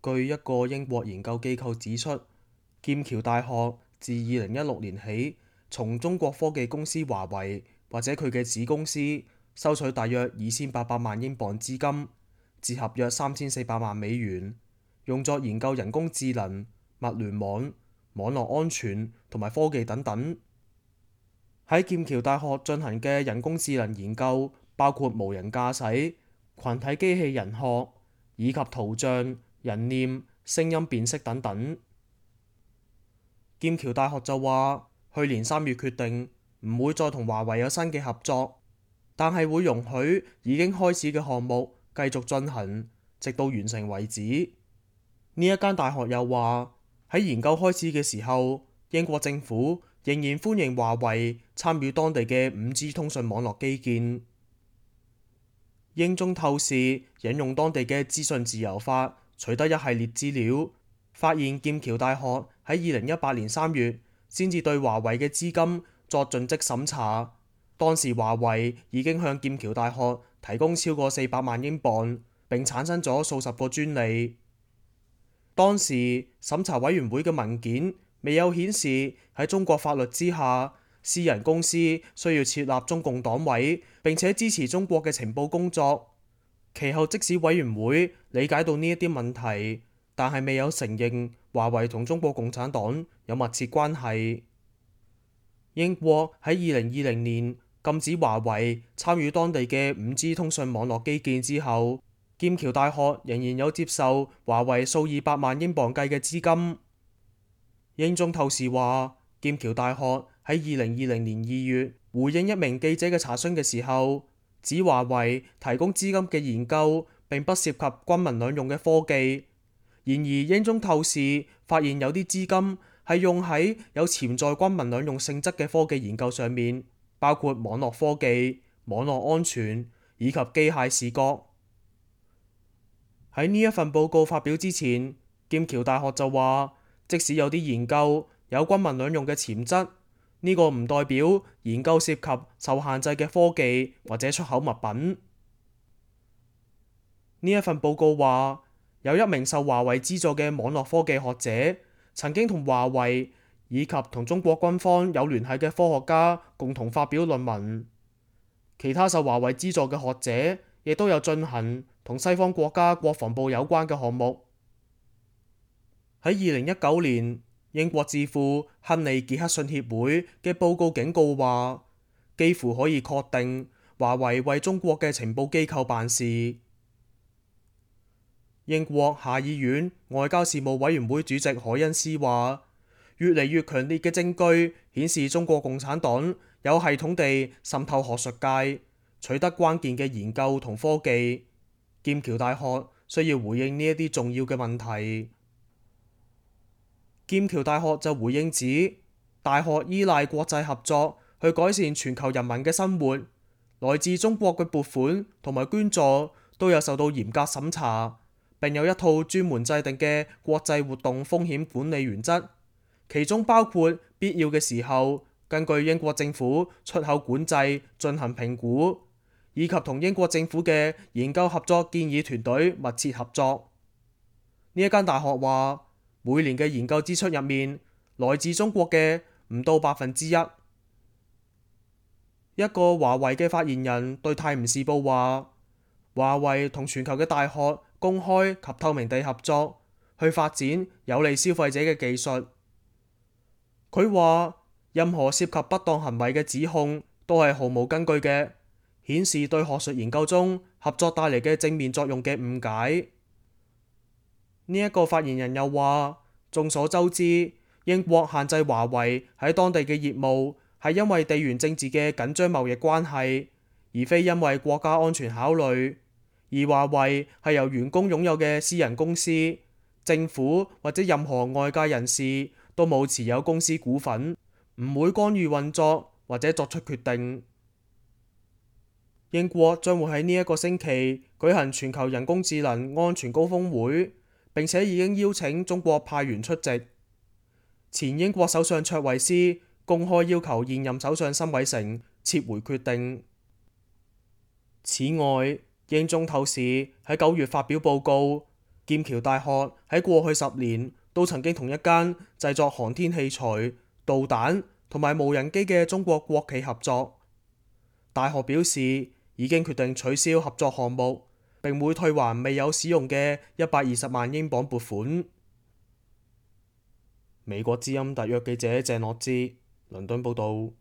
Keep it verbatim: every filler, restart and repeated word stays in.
據一個英國研究機構指出，劍橋大學自二零一六年起，從中國科技公司華為或者佢嘅子公司收取大約二千八百萬英鎊資金，折合約三千四百萬美元，用作研究人工智能、物聯網、網絡安全同埋科技等等。喺劍橋大學進行嘅人工智能研究包括無人駕駛、群體機器人學以及圖像、人臉、聲音辨識等等。劍橋大學就話，去年三月決定唔會再同華為有新嘅合作，但係會容許已經開始嘅項目繼續進行，直到完成為止。呢一間大學又話，喺研究開始嘅時候，英國政府仍然歡迎華為參與當地嘅五 G 通訊網絡基建。英中透視引用當地嘅資訊自由法取得一系列資料，發現劍橋大學喺二零一八年三月先至對華為嘅資金作盡職審查。當時華為已經向劍橋大學提供超過四百萬英鎊，並產生咗數十個專利。當時審查委員會嘅文件未有顯示喺中國法律之下，私人公司需要設立中共黨委，並且支持中國嘅情報工作。其後即使委員會理解到呢一啲問題，但係未有承認華為同中國共產黨有密切關係。英國喺二零二零年禁止華為參與當地嘅五 G 通訊網絡基建之後，劍橋大學仍然有接受華為數以百萬英鎊計嘅資金。英中透視話，劍橋大學喺二零二零年二月回應一名記者嘅查詢嘅時候，指華為提供資金嘅研究並不涉及軍民兩用嘅科技。然而英中透視發現有啲資金係用喺有潛在軍民兩用性質嘅科技研究上面，包括網絡科技、網絡安全以及機械視覺。喺呢一份報告發表之前，劍橋大學就話，即使有啲研究有軍民兩用嘅潛質，呢個唔代表研究涉及受限制嘅科技或者出口物品。呢一份報告話，有一名受華為資助嘅網絡科技學者，曾經同華為以及同中國軍方有聯繫嘅科學家共同發表論文。其他受華為資助嘅學者亦都有進行同西方國家國防部有關嘅項目。喺二零一九年，英國智庫亨利傑克遜協會嘅報告警告話，幾乎可以確定華為為中國嘅情報機構辦事。英國下議院外交事務委員會主席凱恩斯話，越嚟越強烈嘅證據顯示中國共產黨有系統地滲透學術界，取得關鍵嘅研究同科技。劍橋大學需要回應呢一啲重要嘅問題。劍橋大學就回應指，大學依賴國際合作去改善全球人民嘅生活，來自中國嘅撥款同埋捐助都有受到嚴格審查，並有一套專門制定嘅國際活動風險管理原則，其中包括必要嘅時候根據英國政府出口管制進行評估，以及同英國政府嘅研究合作建議團隊密切合作。呢一間大學話，每年嘅研究支出入面，來自中國嘅唔到百分之一。一個華為嘅發言人對泰晤士報話，華為同全球嘅大學公開及透明地合作，去發展有利消費者嘅技術。佢話，任何涉及不當行為嘅指控都係毫無根據嘅，顯示對學術研究中合作帶嚟嘅正面作用嘅誤解。呢一個發言人又話，眾所周知，英國限制華為喺當地嘅業務係因為地緣政治嘅緊張貿易關係，而非因為國家安全考慮。而華為係由員工擁有嘅私人公司，政府或者任何外界人士都冇持有公司股份，唔會干預運作或者作出決定。英國將會喺呢一個星期舉行全球人工智能安全高峰會，並且已經邀請中國派員出席。前英國首相卓維斯公開要求現任首相辛偉誠撤回決定。此外，英中透視喺九月發表報告，劍橋大學喺過去十年都曾經同一間製作航天器材、導彈同埋無人機嘅中國國企合作。大學表示已經決定取消合作項目，並會退還未有使用嘅一百二十萬英鎊撥款。美國之音特約記者鄭樂之倫敦報道。